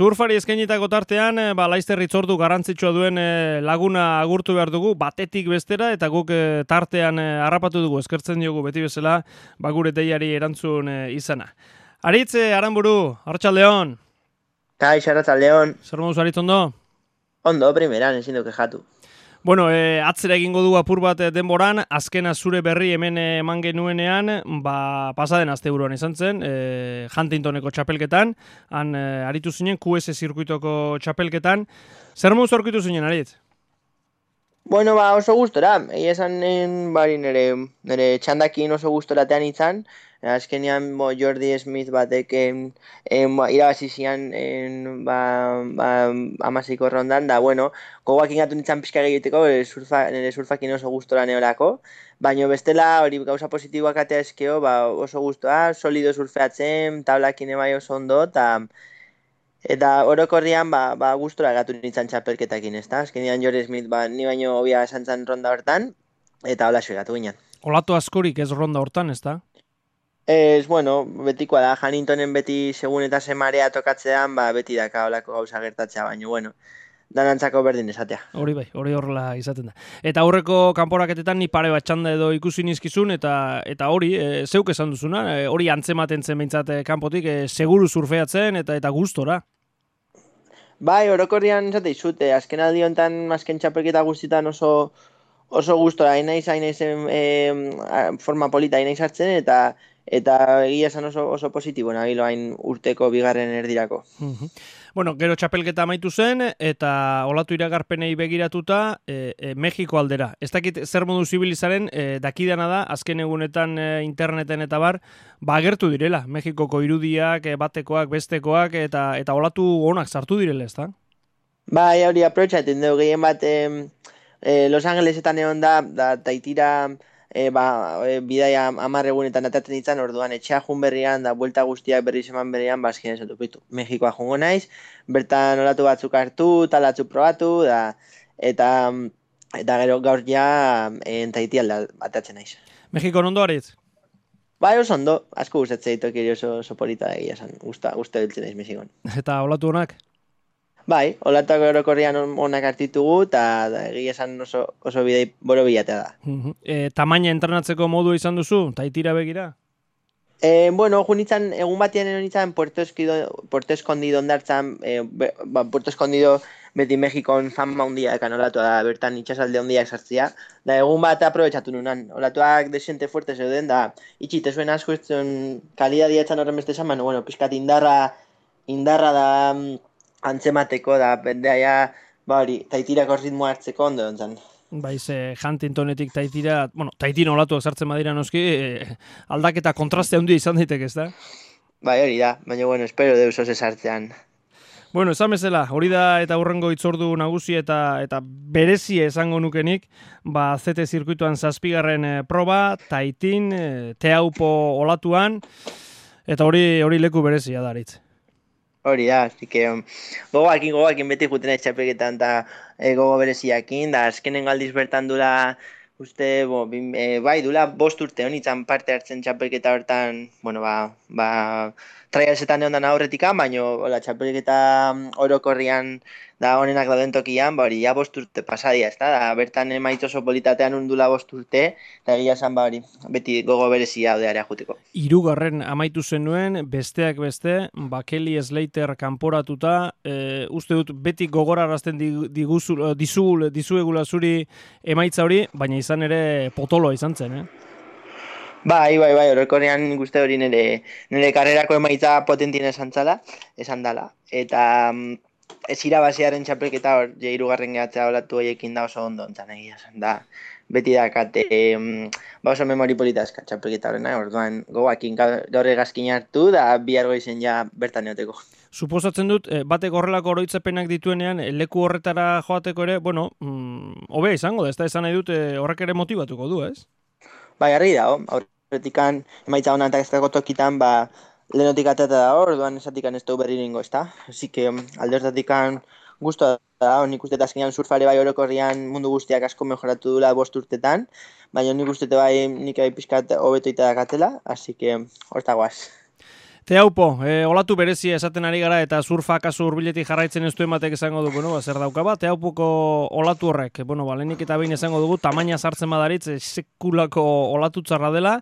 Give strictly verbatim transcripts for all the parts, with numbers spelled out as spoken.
Surfari eskainitako tartean, ba, Laizter hitzordu garrantzitsua duen laguna agurtu behar dugu, batetik bestera, eta guk tartean harrapatu dugu, eskertzen diogu beti bezala, ba, gure deiari erantzun izana. Aritz, Aranburu, Arratsaldeon. Kaix, Arratsaldeon. Zer moduz, Aritz, ondo? Ondo, primeran, ezin du kexatu. Bueno, e, atzera egingo du apur bat denboran, azkena zure berri hemen eman genuenean, ba, pasaden asteburuan izan zen, e, Huntingtoneko txapelketan, han e, aritu zinen, Q S zirkuitoko txapelketan. Zer moduz aurkitu zinen, Aritz? Bueno, ba, oso gustora, egia esan bari nire, nire txandakin oso gustoratean izan, azkenean bo, Jordi Smith batek em, em, irabazi zian em, ba, ba, amasiko rondan, da, bueno, gogoak ingatu nintzen pixka egiteko, surfa, nire surfakin oso gustora neolako, baina bestela hori gauza positiboak atea eskeo, ba, oso gustoa, solido surfeatzen, tablakin ebai oso ondo, eta Eta orokorrian ba, ba gustora gatu nintzen txapelketakin, ezta? Azkenean Jordi Smith ba, ni baino hobia esan zen ronda hortan, eta hola gatu ginen. Olatu askorik ez ronda hortan, ezta? Ez, bueno, betikoa da, Huntingtonen beti segun eta semarea tokatzean, ba, beti daka holako gauza gertatzea, baino, bueno, danantzako berdin esatea. Hori bai, hori horrela izaten da. Eta aurreko kanporaketetan ni pare bat txanda edo ikusi nizkizun, eta eta hori, e, zeuk esan duzuna, e, hori antzematen zen behintzat kanpotik, e, seguru surfeatzen eta eta gustora. Bai, orokorrian esate izute, azken aldi honetan, azken txapelketa guztietan oso oso gustora, hain naiz, hain naiz e, forma polita, hain naiz hartzen, eta eta egia esan oso, oso positibo nabilo hain urteko bigarren erdirako. Uh-huh. Bueno, gero txapelketa amaitu zen, eta olatu iragarpenei begiratuta, e, e, Mexiko aldera. Ez dakit zer modu zibilizaren, e, dakidana da, azken egunetan e, interneten eta bar, ba agertu direla, Mexikoko irudiak, e, batekoak, bestekoak, eta eta olatu onak sartu direla, ez da? Bai, hori aprotxaten dugu, gehien bat e, e, Los Angelesetan egon da, da taitira, E, ba, e, bidaia hamar egunetan atatzen ditzan, orduan etxea jun berrian, da buelta guztiak berri zeman berrian, bazkien esatu pitu. Mexikoa jungo naiz, bertan olatu batzuk hartu, talatzu probatu, da, eta eta gero gaur ja entaiti alda atatzen naiz. Mexiko ondo Aritz? Bai, oso ondo, asko gustatzen ditok oso, oso polita egia esan, gusta, gusta biltzen naiz Mexikon. Eta olatu honak? Bai, olatuak orokorrian onak hartitugu, eta egia esan oso, oso bidei boro bilatea da. Uh-huh. E, tamaina entrenatzeko modu izan duzu, taitira begira? E, bueno, jo nintzen, egun batean egon nintzen Puerto, Esquido, Puerto Escondido ondartzan, e, be, ba, Puerto Escondido beti Mexikon fama handia ekan olatu da, bertan itxasalde handiak sartzia, da egun bat aprobetsatu nunan, olatuak desente fuerte zeuden, da itxite zuen asko ez zuen kalidadia etxan horren beste esan, bueno, pixkat indarra, indarra da antzemateko, da bendeaia, ba hori, taitirako ritmoa hartzeko ondo dontzen. Baiz, eh, Huntingtonetik taitira, bueno, taitin olatuak sartzen badira noski, eh, aldaketa kontraste handia izan daiteke, ez da? Bai, hori da, baina bueno, espero deus oso sartzean. Bueno, esan bezala, hori da eta hurrengo hitzordu nagusi eta eta berezie esango nukenik, ba Z T zirkuituan zazpigarren eh, proba, taitin, eh, teaupo olatuan, eta hori hori leku berezia da, Aritz. Hori da, así que um, gogoakin, gogoakin beti juten ez txapelketan eta e, gogo bereziakin, da azkenen galdiz bertan dula, uste, bo, bin, e, bai, dula bost urte honitzen parte hartzen txapelketa hortan, bueno, ba, ba, traialsetan egon dana aurretikan, baina hola, txapelketa orokorrian da honenak dauden tokian, ba, hori, ja bost urte pasadia, ez da, da bertan emaitz oso politatean undula bost urte, eta egia esan, ba, hori, beti gogo berezia odearea juteko. Hirugarren amaitu zenuen, besteak beste, ba, Kelly Slater kanporatuta, e, uste dut beti gogorarazten diguzul, dizul, dizuegula zuri emaitza hori, baina izan ere potoloa izan zen, eh? Bai, bai, bai, horrekorean guzti hori nire, nire karrerako emaitza potentien esan zala, esan dala. Eta ez irabaziaren txapelketa hor, hirugarren gehatzea olatu horiekin da oso ondo ontzan egia esan da. Beti dakate, e, ba oso memori polita eska txapelketa horrena, orduan gogoakin gaur egazkin hartu, da bihar goizen ja bertan neoteko. Suposatzen dut, batek horrelako oroitzapenak dituenean, leku horretara joateko ere, bueno, mm, hobea izango da, ez da esan nahi dut, horrek ere motibatuko du, ez? Bai, argi da, aurretikan emaitza honan eta ez dago tokitan, ba, lehenotik atata da hor, orduan esatikan ez dugu berri ningo, ez da? Así que alde hortatikan guztua da, nik uste eta azkenean surfare bai orokorrian mundu guztiak asko mejoratu dula bost urtetan, baina nik uste bai nik bai pixkat hobeto ita dakatela, así que hortagoaz. Teaupo, e, olatu berezia esaten ari gara eta surfa kasu hurbiletik jarraitzen ez du ematek esango du, bueno, ba, zer dauka ba, Teaupoko olatu horrek, bueno, ba, lehenik eta behin esango dugu, tamaina sartzen badaritz, e, sekulako olatu txarra dela,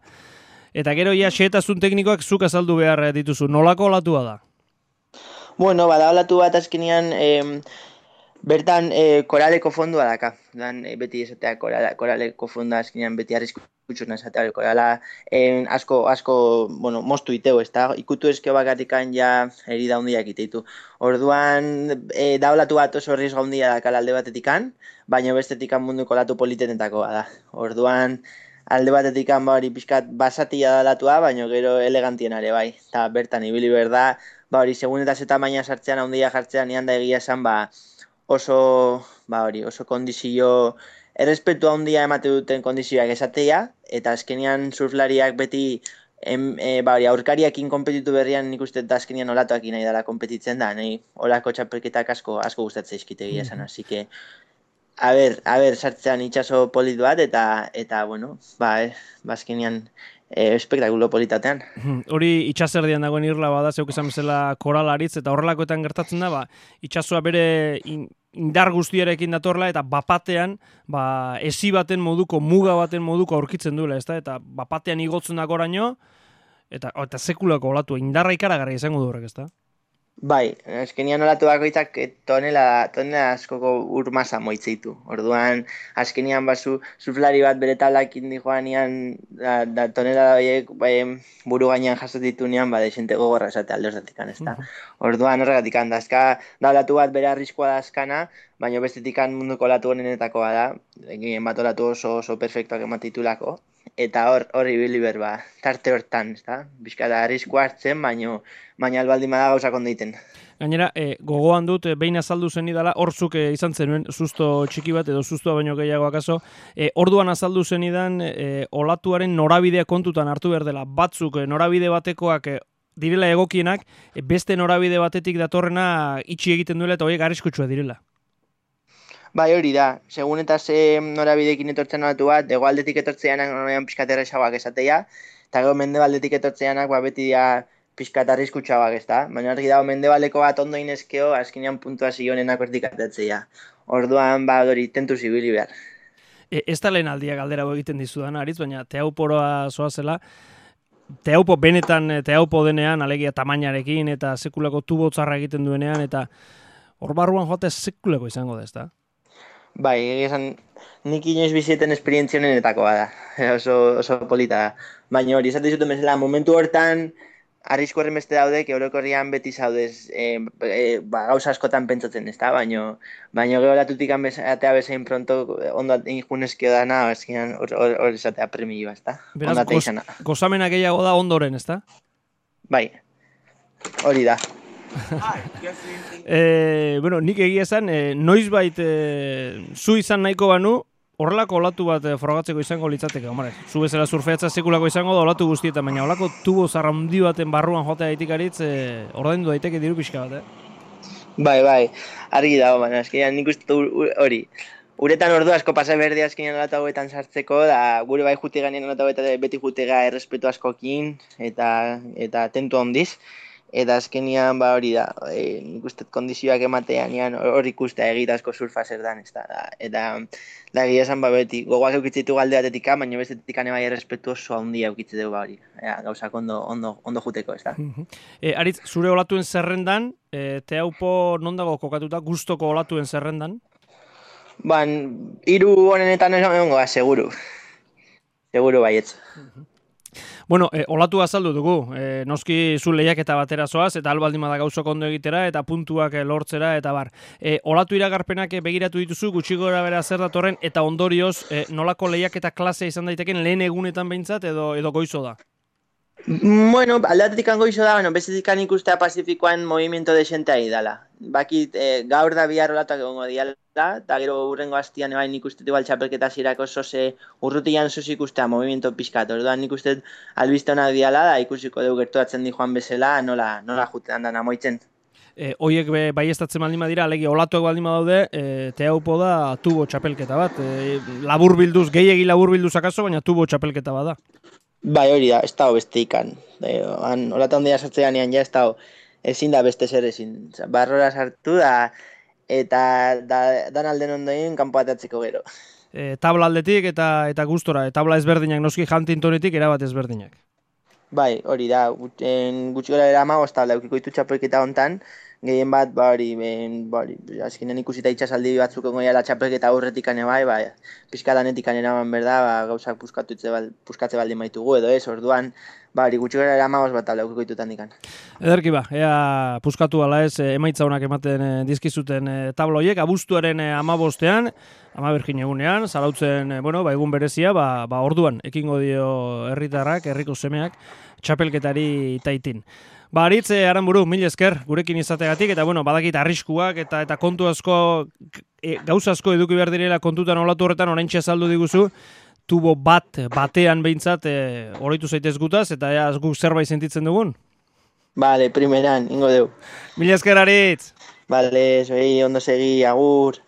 eta gero ia xehetazun teknikoak zuk azaldu behar dituzu, nolako olatua da? Bueno, bada olatu bat azkenean, eh, bertan eh, koraleko fondua daka. Dan, eh, beti esatea korala, koraleko fondua azkenean beti arriskutxuna esatea. Korala eh, asko, asko, bueno, moztu iteo, ez da? Ikutu ezkeo bakatikan ja herida hundiak iteitu. Orduan, eh, da olatu bat oso riesgo hundia dakala alde batetikan, baina bestetikan munduko olatu politenetako da. Orduan, alde batetikan ba hori pixkat basatia da olatua, baina gero elegantien ere bai. Eta bertan ibili berda, ba hori, segun eta zeta maina sartzean, handia jartzean, nian da egia esan, ba, oso, ba hori, oso kondizio, errespetu handia emate duten kondizioak esatea, eta azkenean surflariak beti, em, e, ba hori, aurkariakin konpetitu berrian nik uste eta azkenean olatuakin nahi dela konpetitzen da, nahi olako txapelketak asko, asko gustatzea izkite egia esan, así que, a ber, a ber, sartzean itxaso polit bat, eta, eta bueno, ba, eh, ba azkenean, E, espektakulo politatean. Hori itxaserdian dagoen irla bada, zeuk esan bezala koralaritz, eta horrelakoetan gertatzen da, ba, itxasoa bere in, indar guztiarekin datorla, eta bapatean, ba, esi baten moduko, muga baten moduko aurkitzen duela, ezta? Eta bapatean igotzen dagoraino, eta, eta sekulako olatu, indarra ikaragarri izango du horrek, ezta? Bai, azkenian olatu bakoitzak tonela, tonela askoko ur masa moitzeitu. Orduan, azkenian basu surflari bat bere tablakin dijoanian da, da tonela horiek bai, buru gainean jaso ditunean, ba, desente gogorra esate alde horretikan, ez da. Orduan, horregatikan, dazka, da olatu bat bere arriskoa da azkana, baina bestetikan munduko olatu honenetakoa da, egin bat olatu oso, oso perfektuak ematitulako. Eta hor, hor ibili berba, tarte hortan, ez da? Bizkata arriskoa hartzen, baina baina albaldin bada gauzak ondeiten. Gainera, e, gogoan dut, e, behin azaldu zen idala, horzuk e, izan zenuen, susto txiki bat, edo sustua baino gehiago akaso, e, orduan azaldu zen idan, e, olatuaren norabidea kontutan hartu behar dela, batzuk e, norabide batekoak e, direla egokienak, e, beste norabide batetik datorrena itxi egiten duela, eta horiek arriskutsua direla. Bai, hori da, segun eta ze norabidekin etortzen olatu bat, hegoaldetik etortzeanak norabidean pixkat erresagoak esatea, eta gero mendebaldetik etortzeanak ba, beti da pixkat arriskutsuagoak, ez da? Baina argi dago mendebaldeko bat ondo inezkeo, azkenean puntuazio honenak hortik atatzea. Orduan, ba, hori, tentu zibili behar. E, ez da lehen aldia galdera egiten dizudan, Aritz, baina teauporoa zoazela, teaupo benetan, teaupo denean, alegia tamainarekin, eta sekulako tubo txarra egiten duenean, eta hor barruan joate sekulako izango da, ez da? Bai, esan, nik inoiz bizieten esperientzionenetakoa da, oso, oso polita da. Baina hori, esate dizuten bezala, momentu hortan, arrisku horren beste daudek, eurokorrian beti zaudez, e, e, ba, gauza askotan pentsatzen, ez da? Baina, baina gero latutik atea bezain pronto, ondo injunezkio dana, eskinan hor esatea premioa, ez da? Beraz, goz, gozamena gehiago da ondoren, ez da? Bai, hori da. e, bueno, nik egia esan, e, noizbait e, zu izan nahiko banu, horrelako olatu bat e, frogatzeko izango litzateke, hombre. Zu bezala surfeatza sekulako izango da olatu guztietan, baina olako tubo zarraundi baten barruan jotea daitikaritz, e, ordaindu daiteke diru pixka bat, eh? Bai, bai, argi dago, baina eskenean nik uste hori. Uretan ordu asko pasa berdi azkenean olatu hauetan sartzeko, da gure bai jute ganean olatu hauetan beti jutega errespetu askokin, eta, eta tentu handiz. Eta azkenian ba hori da, e, nik uste kondizioak ematean hor ikustea egitazko surfa zer dan, ez da. Eta da egia esan ba beti, gogoak eukitzitu galde batetik, baina bestetik bai errespetu oso handia eukitze dugu ba hori. Ea, gauzak ondo, ondo, ondo juteko, ez da. e, Aritz, zure olatuen zerrendan, e, teaupo non dago kokatuta, gustoko olatuen zerrendan? Ban, hiru honenetan esan goa, seguru. Seguru baietz. Bueno, e, olatu azaldu dugu, e, noski zu lehiaketa batera zoaz, eta albaldin bada gauzak ondo egitera, eta puntuak e, lortzera, eta bar. E, olatu iragarpenak e, begiratu dituzu, gutxi gora bera zer datorren, eta ondorioz, e, nolako lehiaketa klasea izan daiteken lehen egunetan behintzat, edo, edo goizo da? Bueno, aldatetik goizo da, bueno, bestetik ikustea Pazifikoan movimiento de xente ahi dala. Bakit, e, gaur da bihar olatuak egongo diala, eta gero urrengo hastian ebain ikuste igual txapelketa zirako zoze urrutian zoze ikustea movimiento pizkat. Orduan nik uste albiste hona diala, da ikusiko dugu gertuatzen di joan bezala, nola, nola jutean dana moitzen. E, oiek be, bai estatzen baldin badira, alegi olatuak baldin badaude, e, teaupo da tubo txapelketa bat. E, labur bilduz, gehiegi labur bilduz akaso, baina tubo txapelketa bat da. Bai, hori da, ez dago beste ikan. E, Olatan ondia sartzean ean ja ez dago, ezin da beste zer ezin. Osa, barrora sartu da, eta da, dan alden ondoen kanpo atatzeko gero. E, tabla aldetik eta eta gustora, e, tabla ezberdinak noski Huntingtonetik erabat ezberdinak. Bai, hori da, gut- en, gutxi gara era ama, ozta, laukiko ditu txapelketa hontan, gehien bat, ba hori, ben, ba hori, azkenean ikusita itxasaldi batzuk egon la txapelketa aurretik ane bai, bai, pixka lanetik eraman berda, ba, gauzak puskatutze bal, puskatze baldin baitugu edo ez, orduan, ba hori, gutxi gara era ama, bat laukiko ditutan dikan. Ederki ba, ea puskatu ala ez, e, emaitza honak ematen e, dizkizuten e, tabla horiek, abuztuaren e, amabostean, ama bergin egunean, zarautzen, e, bueno, ba, egun berezia, ba, ba orduan, ekingo dio herritarrak, herriko semeak, txapelketari taitin. Ba, Aritz, e, Aranburu, mil esker, gurekin izategatik, eta bueno, badakit arriskuak eta eta kontu asko, e, gauza asko eduki behar direla kontutan olatu horretan, oraintxe azaldu diguzu, tubo bat, batean behintzat, e, oroitu zaitez gutaz, eta ea guk zerbait sentitzen dugun. Vale, primeran, ingo deu. Mil esker, Aritz! Vale, soy ondo segi, agur.